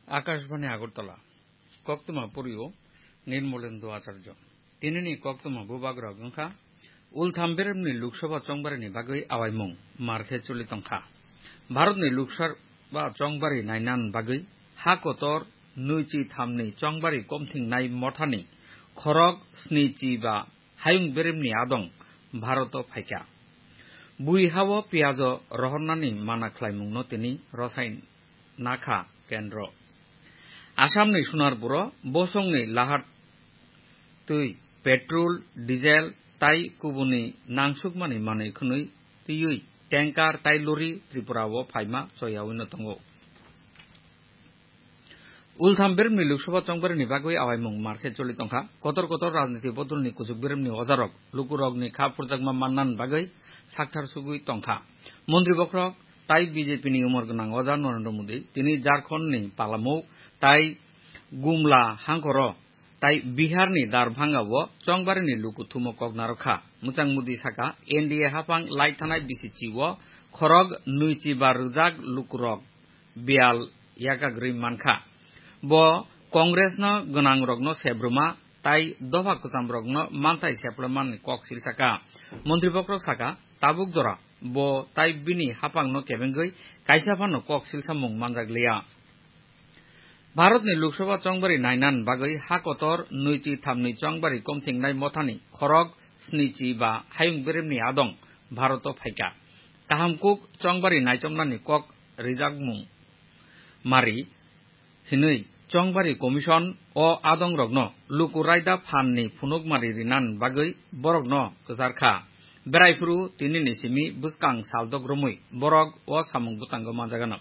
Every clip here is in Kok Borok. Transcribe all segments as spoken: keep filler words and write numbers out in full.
Akashbani Agartala, koktwma pori o Nirmolendra Acharya. Tinini koktwma bubagrok wngkha, Ultham beremni Lok Sabha chongbarini bagwi awaimung mar khe choli tongkha. Bharatni Lok Sabha chongbari nainan bagwi ha kotor nwichi thamni chongbari komthingnai mothani khorok snichi ba hayung beremni adong Bharoto phaikha. Bui hao piyajo rohornani mana khlaimungno tini rosai nakha kendro. Assamni Sonarpuro bosongni lahar twi petrol, diesel tai kubuni nangsukmani manwi khwnwi twiwi tanker tai lori Tripura o phaima choyawi no tongo. Ultham beremni Lok Sabha chongbarini bagwi awaimung mar khe choli tongkha. Kotor kotor rajniti bodolni kuchuk beremni ojarok lukurokni kha phurjakma mannan bagwi sakthar sugwi tongkha. Montri bokhorok tai B J P ni umor gwnang oja Narendra Modi tini Jharkhand ni Palamou tai Gumla hangkoro tai Bihar ni Darbhanga o chongbarini luku thumo kok narwkha. Mwchang Modi saka, N D A haphang lai thanai B C C o khorok nwichi ba rwjak lukurok biyal yakagwi mankha. Bo Congress no gwnangrokno sebruma tai dopha kwchamrokno manthai seplamani kok silsaka. Montri bokhorok saka, tabuk jora bo tai bini haphangno kebengwi kaisa phano kok silsamung manjakliya. Bharatni Lok Sabha chongbari nainan bagwi ha kotor nwichi thamni chongbari komthingnai mothani khorok snichi ba hayung beremni adong Bharoto phaikha. Kaham kuk chongbari naichomnani kok rijakmung mari hinwi chongbari commission o adongrokno luku raida phanni phunukmari rinan bagwi borokno kwcharkha. Berai phuru tinini simi bwskang saldok romwi borok o samung bwtango manjagano.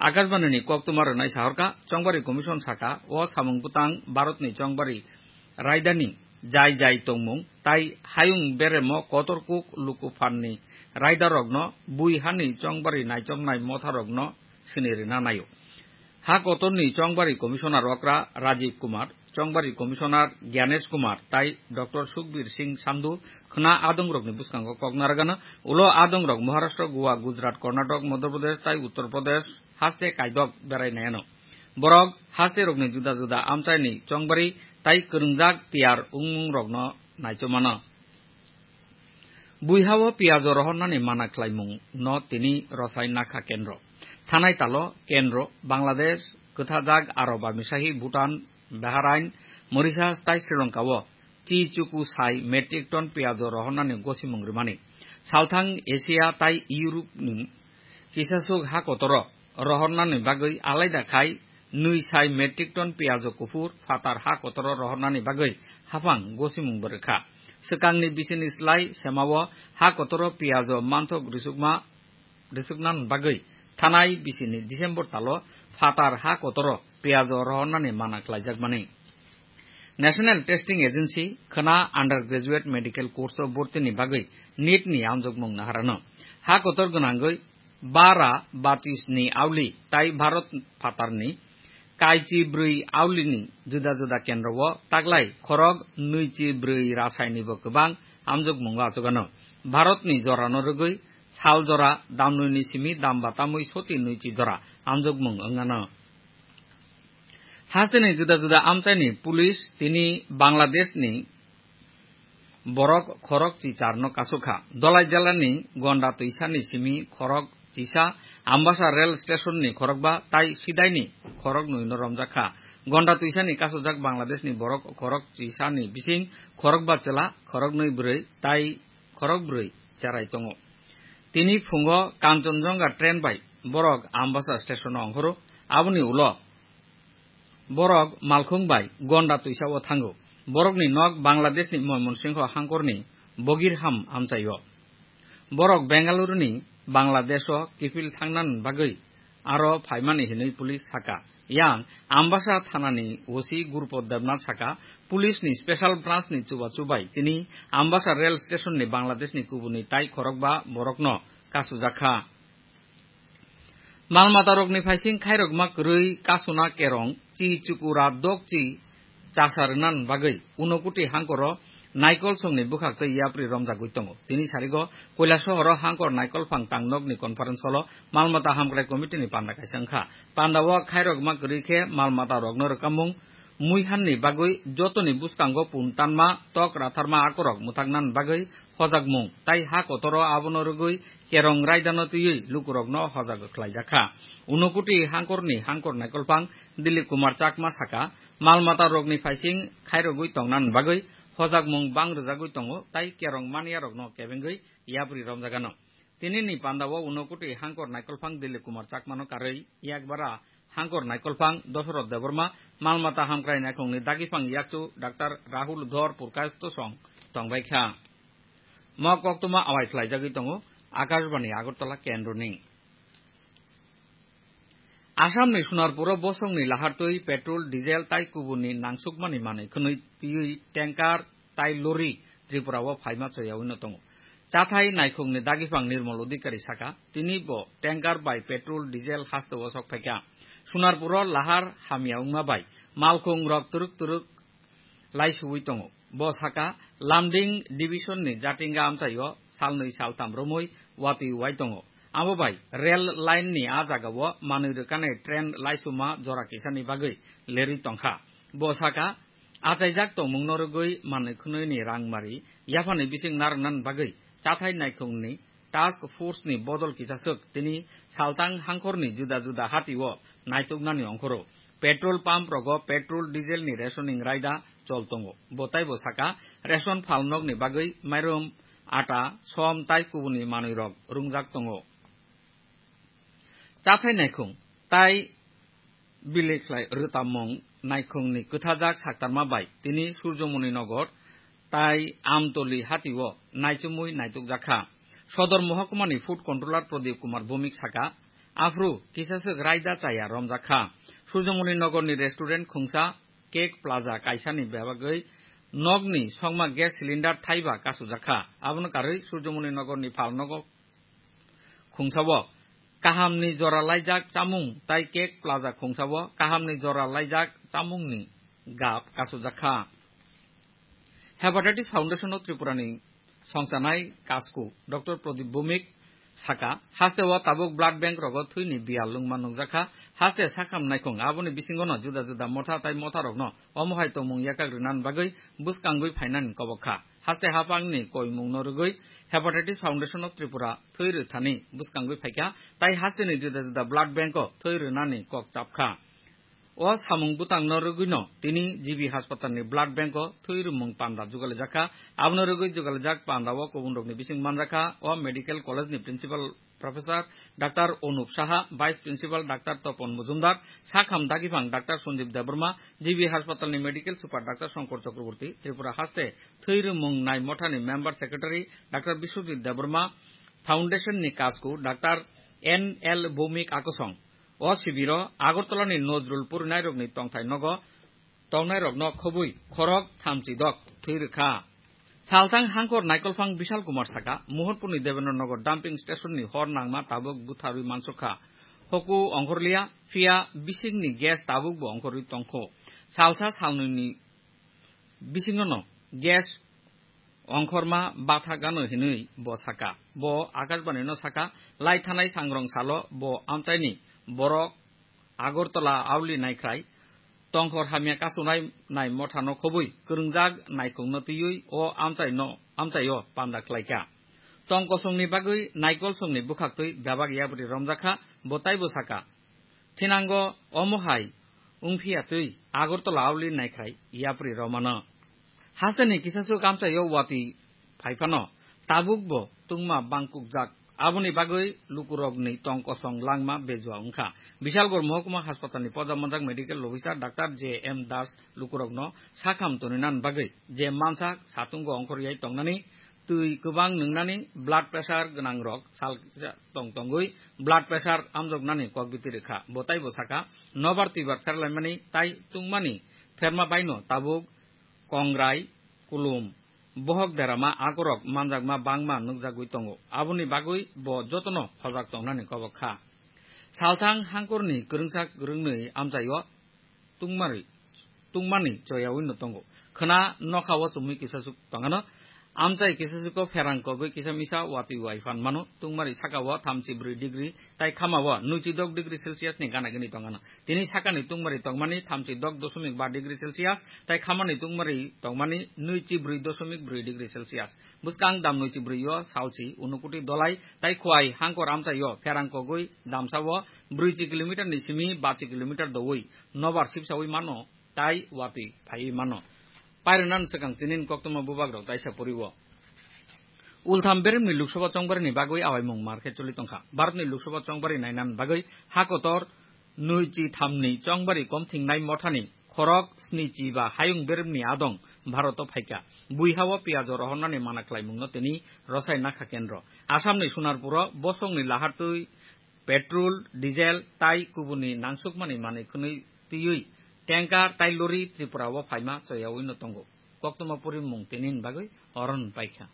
Akashbani ni koktwma rwnai sahorkha, chongbari commission saka o samung bwtang Bharatni chongbari raidani jai jai tongmung tai hayung beremo kotor kuk luku phanni raidarokno bui hani chongbari naichomnai motharokno sini rina naio. Ha kotorni chongbari commissioner okra Rajiv Kumar, chongbari commissioner Gyanesh Kumar tai Doctor Sukhbir Singh Sandhu khna adongrokni bwskango kok narwgano. Ulo adongrok Maharashtra, Goa, Gujarat, Karnataka, Madhya Pradesh tai Uttar Pradesh haste kaidok berai naiano. Borok haste rokni juda juda amchaini chongbari tai kwrwngjak tiyar wngmung rokno naichomano. Buihao piyajo rohornani mana khlaimungno tini rosai nakha kendro. Thanai talo kendro, Bangladesh, kwthajak aro bamisahi Bhutan, Bahrain, Mauritius tai Sri Lanka o chi chuku sai metric ton piyajo rohornani gosimung rwmani. Salthang Asia tai Europe ni kisasuk ha kotoro rohornani bagwi alaida khai nwi sai metric ton piyajo kuphur phatar ha kotoro rohornani bagwi haphang gosimung bo rwkha. Swkangni bisini slai semao ha kotoro piyajo manthok rwsukma, rwsuknani bagwi thanai bisini December talo phatar ha kotoro piyajo rohornani mana khlaijakmani. National Testing Agency khna undergraduate medical course o bortini bagwi NEET ni amjokmung naharano. Ha kotor gwnangwi bara batis ni auli tai Bharat phatarni kaichi brwi aulini juda juda kendro o taklai khorok nwichi brwi rasaini bo kwbang amjokmungo achugano. Bharatni jorano rwgwi sal jora damnwini simi damba tamwi soti nwichi jora amjokmung wngano. Hasteni juda juda amchaini police tini Bangladeshni borok khorok chi charno kasukha. Dolai jelani Gonda Twisani simi khorok chisa, Ambasa rail stationni khorokba tai Sidaini khoroknwino romjakha. Gonda Twisani kasujak Bangladeshni borok khorok chisani bising khorokba chwla, khoroknwi bwrwi tai khorok bwrwi cherai tongo. Tini phungo Kanchenjunga train bai borok Ambasa stationo ongkhoro. Aboni ulo borok malkhung bai Gonda Twisao thango. Borokni nok Bangladeshni Moymonsingho hangkorni Bogirham amchaio. Borok Bengaluruni Bangladesho kiphil thangnani bagwi aro phaimani hinwi police saka. Yang Ambasa thanani O C Gurupod Debnath saka, police ni special branch ni chubachu bai tini Ambasa rail station ni Bangladesh ni kubuni tai khorokba borokno kasujakha. Mal matarokni phaising khairokma kwrwi kasuna kerong chi chukura dok chi chasa rwnan bagwi Unakoti hangkoro Naikol songni bwkhaktwi yapri romjagwi tongo. Tini sarigo Koilasohoro hangkor naikolphang tangnokni conference hall-o malmata hamkrai committee-ni panda kaisa wngkha. Panda-o khairokma kwrwi khe malmatarokno rwkamung, muihanni bagwi jotoni bwskango pun tanma, tok ratharma akorok mwthaknani bagwi hojakmung, tai ha kotoro abono rwgwi kerong raidano twiwi lukurokno hojak khlaijakha. Unokuti hangkorni hangkor naikolphang Dilip Kumar Chakma saka, malmatarokni phaising khairogwi tongnani bagwi hojakmung bang rwjagwi tongo, tai kerong maniyarokno kebengwi yapri romjagano. Tinini panda-o unokuti hangkor naikolphang Dilip Kumar Chakmano karwi yakbara hangkor naikolphang Dosoroth Debbarma, malmata hamkrai naikhungni dagiphang yakchu Doctor Rahul Dhor Purkash Tosong tongbaikha. Mo koktwma awai khlaijagwi tongo Akashbani Agartala kendroni. Assamni Sunarpuro bosongni lahartwi petrol, diesel tai kubunni nangsukmani manwi khwnwi twiwi tanker tai lorry Tripura-o phaima choyawino tongo. Chathai naikhungni dagiphang Nirmal Odhikari saka, tini bo tanker bai petrol, diesel hasteo sok phaikha. Sunarpuro lahar hamya wngma bai malkhung rok twrwk twrwk laisuwi tongo. Bo saka, Lumding division-ni Jatinga amchaio salnwi saltham romwi watwi wai tongo. Abo bai rail line-ni a jagao manwi rwkani train laisuma jora kisani bagwi lerwi tongkha. Bo saka, achaijak tongmungno rwgwi manwi khwnwini rangmari yaphani bising narwknani bagwi chathai naikhungni task force-ni bodol kisaswk tini saltang hangkhorni juda juda hatio naituknani ongkhoro. Petrol pump rogo petrol, diesel-ni rationing raida chol tongo. Bo taibo saka, ration phalnokni bagwi mairum, ata, som tai kubuni manwirok rungjak tongo. Chathai naikhung tai bilikhlai rwtammung naikhungni kwthajak saktarma bai tini Surjomoni Nogor tai Amtoli hatio naichomwi naitukjakha. Sodor Mohkumani Food Controller Pradip Kumar Bhowmik saka, aphru kisaswk raida chaya romjakha. Surjomoni Nogorni restaurant khungsa Cake Plaza kaisani bebagwi nokni songma gas cylinder thaiba kasujakha. Abono karwi Surjomoni Nogorni phalnogo khungsao kahamni jora laijak chamung tai Cake Plaza khungsao kahamni jora laijak chamungni gap kasujakha. Hepatitis Foundation of Tripura-ni songchanai kasku Doctor Pradip Bhowmik saka, hasteo tabuk blood bank rogo thwini biyal lwngma nukjakha, haste sakham naikhung, aboni bisingono juda juda motha tai motharokno omo hai tongmung yakak rwnani bagwi bwskangwi phainani kobok kha. Haste haphangni koimungno rwgwi Hepatitis Foundation of Tripura thwi rwthani bwskangwi phaikha, tai hasteni juda juda blood bank-o thwi rwnani kok chapkha. O samung bwtangno rwgwino tini G B haspatalni blood bank-o thwi rwmung panda jugalijakha. Abono rwgwi jugalijak panda-o kubunrokni bising manjakha o medical college-ni principal Professor Doctor Onup Saha, Vice Principal Doctor Topon Mojumdar, sakham dagiphang Doctor Sanjib Debbarma, G B haspatalni Medical Super Doctor Shankar Chakraborty, Tripura haste thwi rwmung nai mothani Member Secretary Doctor Biswajit Debbarma, Foundation-ni kasku Doctor N L Bhowmik akosong. O sibiro Agartala-ni Nojrul purinairokni tongthai nogo tongnairokno khobwi khorok thamchi dok thwi rwkha. Salthang hangkor naikolphang Bishal Kumar saka, Mohorpurni Debendra Nagar dumping station-ni hor nangma tabuk butharwi mansukha. Hoku ongkhorliya, phiya bisingni gas tabukbo ongkhorwi tongkho. Salsa salnwini bisingono gas ongkhorma bathak ano hinwi bo saka. Bo Akashbani-no saka, lai thanai sangrong salo bo amchaini borok Agartala Auli naikhrai tongkhor hamya kasunai nai mothano khobwi kwrwngjak naikhungno twiwi o amchaino, amchaio panda khlaikha. Tong kosongni bagwi naikol songni bwkhaktwi bebak yapri romjakha, bo taibo saka, thinango omo hai wngphiya twi Agartala Auli naikhrai yapri romano. Hasteni kisaswk amchaio watwi phaiphano tabukbo tungma bangkukjak. Aboni bagwi lukurokni tong kosong langma bejua wngkha. Bishalgarh Mohokuma Haspatalni poja manjak medical officer Doctor J M Das lukurokno sakham toninan bagwi je mansa satungo ongkhorwi tongnani, twi kwbang nwngnani, blood pressure gwnangrok sal kisa tong tongwi blood pressure amjoknani kok biti rwkha. Bo taibo saka, nobar twibar pherlaimani tai tungmani pherma baino tabuk kongrai, kulum, bohok derama akorok manjakma bangma nukjagwi tongo. Aboni bagwi bo jotono hojak tongnani kobok kha. Salthang hangkorni kwrwngsa kwrwngnwi amchaio tungmari, tungmani choyawino tongo. Khna nokha o chumui kisa suk tongano. Amchai kisa suko pherang kogwi kisa misa watwi wai phan mano. Tungmari saka o thamchi brwi degree tai khama o nuichi dok degree Celsius ni gana gini tongano. Tini sakani tungmari tongmani thamchi dok dosomik ba degree Celsius tai khamani tungmari tongmani nuichi brwi dosomik brwi degree Celsius. Bwskang dam nuichi brwi o salsi unukuti dolai tai khwai hangkor amchai o pherang kogwi damsa o brwichi kilometer ni simi bachi kilometer dowi nobar sipsawi mano. Tai watwi phaiwi mano. Pairwnan swkang tinin koktwma bubagrok taisa poriwo. Ultham beremni Lok Sabha chongbarini bagwi awaimung mar khe choli tongkha. Bharatni Lok Sabha chongbari nainani bagwi ha kotor nuichi thamni chongbari komthingnai mothani khorok snichi ba hayung beremni adong Bharoto phaikha. Buihao piyajo rohornani mana khlaimungno tini rosai nakha kendro. Asamni Sonarpuro bosongni lahatwi petrol, diesel tai kubuni nangsukmani manwi khwnwi twiwi tanker tai lorry Tripura o phaima choyawi no tongo. Koktwma porimung tinin bagwi oron paikha.